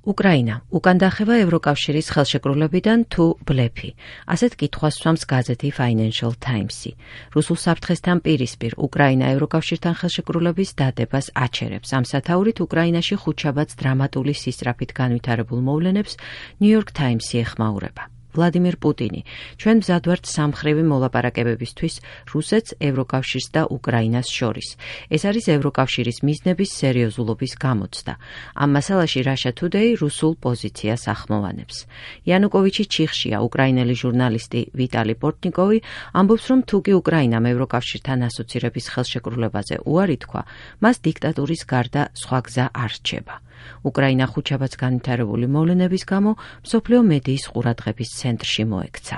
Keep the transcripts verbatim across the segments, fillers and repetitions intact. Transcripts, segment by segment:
უკრაინა უკან დახევა ევროკავშირის ხელშეკრულებიდან თუ ბლეფი. ასეთ კითხვას სვამს გაზეთი Financial Times-ი. რუსულ საფრთხესთან პირისპირ უკრაინა ევროკავშირთან ხელშეკრულების დადებას აჩერებს. ამ სათაურით უკრაინაში ხუთშაბათს დრამატული სისწრაფით განვითარებულ მოვლენებს New York Times-ი ეხმაურება. ვლადიმირ პუტინი, ჩვენ მზად ვართ სამხრივი მოლაპარაკებებისთვის რუსეთს, ევროკავშირს და უკრაინას შორის. ეს არის ევროკავშირის მიზნების სერიოზულობის გამოცდა. ამ მასალაში Russia Today რუსულ პოზიციას ახმოვანებს. იანუკოვიჩი ჩიხშია, უკრაინელი ჟურნალისტი ვიტალი პორტნიკოვი ამბობს, რომ თუკი უკრაინამ ევროკავშირთან ასოცირების ხელშეკრულებაზე უარი თქვა, მას დიქტატურის გარდა სხვა გზა არ რჩება. უკრაინა ხუთშაბათს განვითარებული მოვლენების გამო მსოფლიო მედიის ყურადღების ცენტრში მოექცა.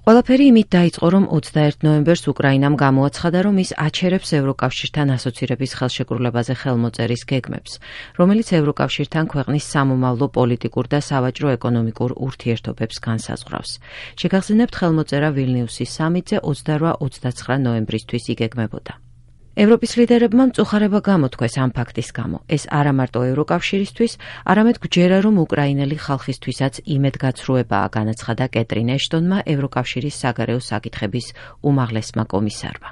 ყველაფერი იმით დაიწყო, რომ ოცდაერთი ნოემბერს უკრაინამ გამოაცხადა, რომ ის აჩერებს ევროკავშირთან ასოცირების ხელშეკრულებაზე ხელმოწერის გეგმებს, რომელიც ევროკავშირთან ქვეყნის სამომავლო პოლიტიკურ და სავაჭრო ეკონომიკურ ურთიერთობებს განსაზღვრავს. შეგახსენებთ, ხელმოწერა ვილნიუსის სამიტზე ოცდაოთხ ოცდაცხრა ნოემბრისთვის იგეგმებოდა. ევროპის ლიდერებმა მწუხარება გამოთქვეს ამ ფაქტის გამო. ეს არა მარტო ევროკავშირისთვის, არამედ გვჯერა, რომ უკრაინელი ხალხისთვისაც იმედგაცრუებაა, განაცხადა კეტრინ ეშტონმა ევროკავშირის საგარეო საკითხების უმაღლესმა კომისარმა.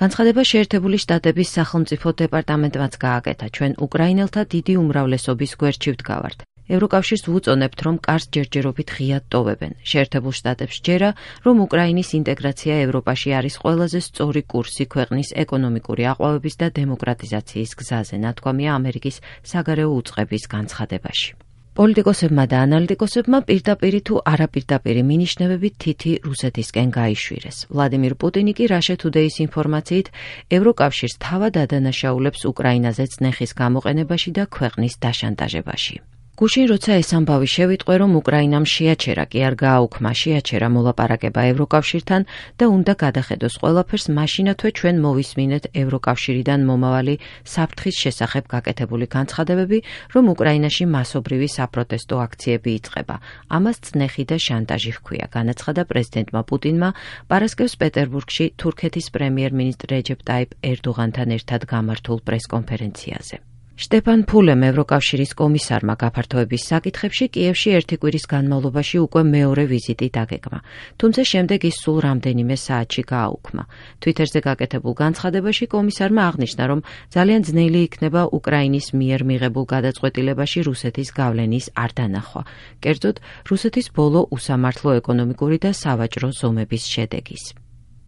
განცხადება შეერთებული შტატების სახელმწიფო დეპარტამენტმაც გააკეთა. ჩვენ უკრაინელთა დიდი უმრავლესობის გვერდში ვდგავართ. ევროკავშირს ვუწონებთ, რომ კარს ჯერჯერობით ღიად ტოვებენ. შეერთებულ შტატებს ჯერა, რომ უკრაინის ინტეგრაცია ევროპაში არის ყველაზე სწორი კურსი ქვეყნის ეკონომიკური აყვავების და დემოკრატიზაციის გზაზე, ნათქვამია ამერიკის საგარეო უწყების განცხადებაში. პოლიტიკოსებმა და ანალიტიკოსებმა პირდაპირი თუ არაპირდაპირი მინიშნებებით თითი რუსეთისკენ გაიშვირეს. ვლადიმირ პუტინი კი Russia Today-ის ინფორმაციით ევროკავშირს თავად ადანაშაულებს უკრაინაზე წნეხის გამოყენებაში და ქვეყნის დაშანტაჟებაში. გუშინ როცა ეს ამბავი შევიტყვე, რომ უკრაინამ შეაჩერა, კი არ გააუქმა, შეაჩერა მოლაპარაკება ევროკავშირთან და უნდა გადახედოს ყველაფერს, მაშინათვე ჩვენ მოვისმინეთ ევროკავშირიდან მომავალი საფრთხის შესახებ გაკეთებული განცხადებები, რომ უკრაინაში მასობრივი საპროტესტო აქციები იწყება. ამას წნეხი და შანტაჟი ჰქვია, განაცხადა პრეზიდენტმა პუტინმა პარასკევს პეტერბურგში თურქეთის პრემიერ-მინისტრ რეჯეპ ტაიპ ერდოღანთან ერთად გამართულ პრესკონფერენციაზე. შტეფან ფულემ ევროკავშირის კომისარმა გაფართოების საკითხებში კიევში ერთი კვირის განმავლობაში უკვე მეორე ვიზიტი დაგეგმა, თუმცა შემდეგ ის სულ რამდენიმე საათში გააუქმა. Twitterზე გაკეთებულ განცხადებაში კომისარმა აღნიშნა, რომ ძალიან ძნელი იქნება უკრაინის მიერ მიღებულ გადაწყვეტილებაში რუსეთის გავლენის არ დანახვა, კერძოდ რუსეთის ბოლო უსამართლო ეკონომიკური და სავაჭრო ზომების შედეგის.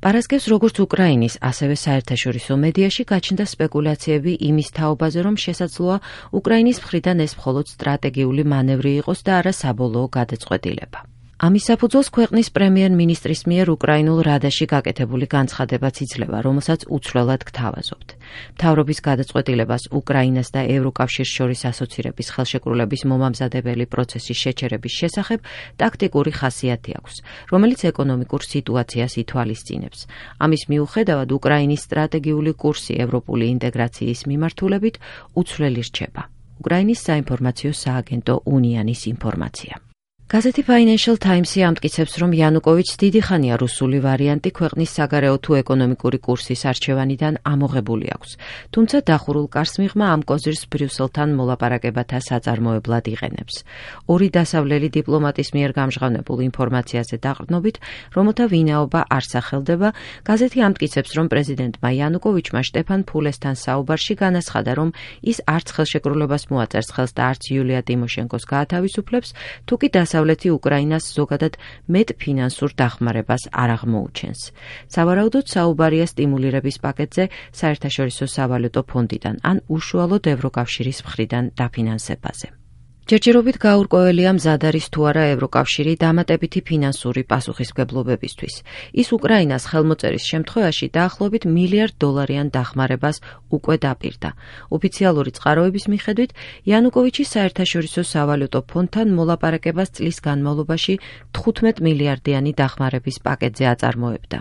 პარასკევს როგორც უკრაინის, ასევე საერთაშორისო მედიაში გაჩნდა სპეკულაციები იმის თაობაზე, რომ შესაძლოა უკრაინის მხრიდან ეს მხოლოდ სტრატეგიული მანევრი იყოს და არა საბოლოო გადაწყვეტილება. ამის საფუძველს ქვეყნის პრემიერ-მინისტრის მიერ უკრაინულ რადაში გაკეთებული განცხადებაც იძლევა, რომელსაც უცვლელად გთავაზობთ. მთავრობის გადაწყვეტილებას უკრაინას და ევროკავშირს შორის ასოცირების ხელშეკრულების მომამზადებელი პროცესის შეჩერების შესახებ ტაქტიკური ხასიათი აქვს, რომელიც ეკონომიკურ სიტუაციას ითვალისწინებს. ამის მიუხედავად უკრაინის სტრატეგიული კურსი ევროპული ინტეგრაციის მიმართულებით უცვლელი რჩება. უკრაინის საინფორმაციო სააგენტო უნიანის ინფორმაცია. გაზეთი Financial Times-ი ამტკიცებს, რომ იანუკოვიჩს დიდი ხანია რუსული ვარიანტი ქვეყნის საგარეო თუ ეკონომიკური კურსის არჩევანიდან ამოღებული აქვს, თუმცა დახურულ კარს მიღმა ამ კოზირს ბრიუსელთან მოლაპარაკებათა საწარმოებლად იყენებს. ორი დასავლელი დიპლომატის მიერ გამჟღავნებულ ინფორმაციაზე დაყრდნობით, რომელთა ვინაობა არ სახელდება, გაზეთი ამტკიცებს, რომ პრეზიდენტმა იანუკოვიჩმა შტეფან ფულესთან საუბარში განაცხადა, რომ ის არც ხელშეკრულებას მოაწერს ხელს და არც იულია ტიმოშენკოს გაათავისუფლებს, თუკი დასავლელი უკრაინას ზოგადად მეტ ფინანსურ დახმარებას არ აღმოუჩენს. სავარაუდოდ საუბარია სტიმულირების პაკეტზე საერთაშორისო სავალუტო ფონდიდან ან უშუალოდ ევროკავშირის მხრიდან დაფინანსებაზე. ჯერჯერობით გაურკვეველია მზად არის თუ არა ევროკავშირი დამატებითი ფინანსური პასუხისმგებლობებისთვის. ის უკრაინას ხელმოწერის შემთხვევაში დაახლოებით მილიარდ დოლარიან დახმარებას უკვე დაპირდა. ოფიციალური წყაროების მიხედვით, იანუკოვიჩი საერთაშორისო სავალუტო ფონდთან მოლაპარაკებას წლის განმავლობაში თხუთმეტ მილიარდიანი დახმარების პაკეტზე აწარმოებდა.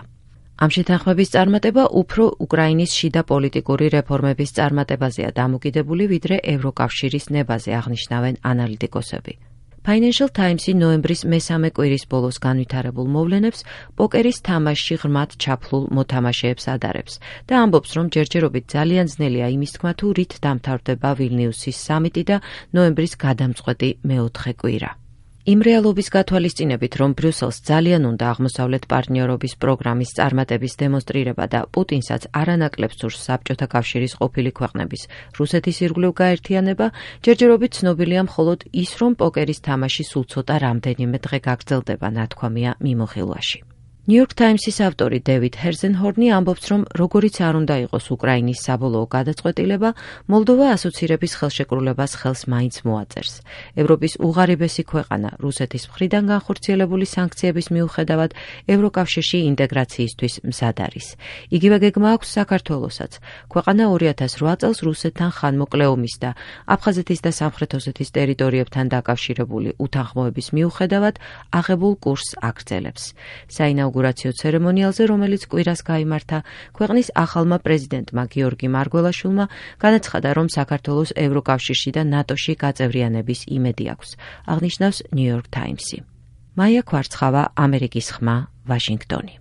ამ შეთანხმების წარმატება უფრო უკრაინის შიდა პოლიტიკური რეფორმების წარმატებაზეა დამოკიდებული, ვიდრე ევროკავშირის ნებაზე, აღნიშნავენ ანალიტიკოსები. Financial Times-ი ნოემბრის მესამე კვირის ბოლოს განვითარებულ მოვლენებს პოკერის თამაშში ღრმად ჩაფლულ მოთამაშეებს ადარებს და ამბობს, რომ ჯერჯერობით ძალიან ძნელია იმის თქმა, თუ რით დამთავრდება ვილნიუსის სამიტი და ნოემბრის გადამწყვეტი მეოთხე კვირა. იმ რეალობის გათვალისწინებით, რომ ბრიუსელს ძალიან უნდა აღმოსავლეთ პარტნიორობის პროგრამის წარმატების დემონსტრირება და პუტინსაც არანაკლებ სურს საბჭოთა კავშირის ყოფილი ქვეყნების რუსეთის ირგვლივ გაერთიანება, ჯერჯერობით ცნობილია მხოლოდ ის, რომ პოკერის თამაში სულ ცოტა რამდენიმე დღე გაგრძელდება, ნათქვამია მიმოხილვაში. New York Times-ის ავტორი დევიდ ჰერზენჰორნი ამბობს, რომ როგორიც არ უნდა იყოს უკრაინის საბოლოო გადაწყვეტილება, მოლდოვა ასოცირების ხელშეკრულებას ხელს მაინც მოაწერს. ევროპის უღარიბესი ქვეყანა რუსეთის მხრიდან განხორციელებული სანქციების მიუხედავად ევროკავშირში ინტეგრაციისთვის მზად არის. იგივე გეგმა აქვს საქართველოსაც. ქვეყანა ორი ათას რვა წელს რუსეთთან ხანმოკლე ომის და აფხაზეთის და სამხრეთ ოსეთის ტერიტორიებთან დაკავშირებული უთანხმოების მიუხედავად აღებულ კურსს აგრძელებს. საინაუგურაციო ცერემონიალზე, რომელიც კვირას გაიმართა, ქვეყნის ახალმა პრეზიდენტმა გიორგი მარგველაშვილმა განაცხადა, რომ საქართველოს ევროკავშირში და ნატოში გაწევრიანების იმედი აქვს, აღნიშნავს New York Times-ი. მაია ქვარცხავა, ამერიკის ხმა, ვაშინგტონი.